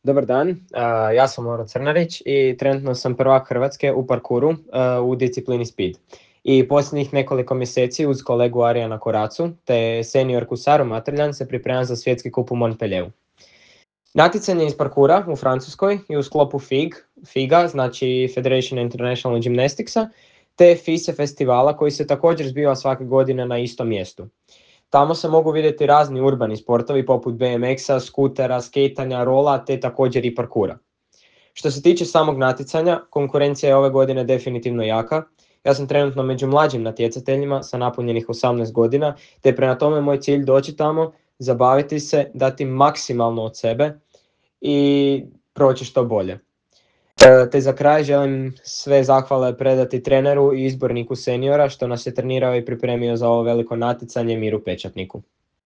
Dobar dan, ja sam Moro Crnarić i trenutno sam prvak Hrvatske u parkuru u disciplini Speed. I posljednjih nekoliko mjeseci uz kolegu Arijana Koracu te seniorku Saru Matrljan se pripremam za svjetski kup u Montpellieru. Natjecanje iz parkura u Francuskoj i u sklopu FIGA, znači Federation International Gymnasticsa, te FISE festivala koji se također zbiva svake godine na istom mjestu. Tamo se mogu vidjeti razni urbani sportovi poput BMX-a, skutera, skejtanja, rola te također i parkura. Što se tiče samog natjecanja, konkurencija je ove godine definitivno jaka. Ja sam trenutno među mlađim natjecateljima sa napunjenih 18 godina, te prema tome moj cilj doći tamo, zabaviti se, dati maksimalno od sebe i proći što bolje. Te za kraj želim sve zahvale predati treneru i izborniku seniora što nas je trenirao i pripremio za ovo veliko natjecanje Miru Pečatniku.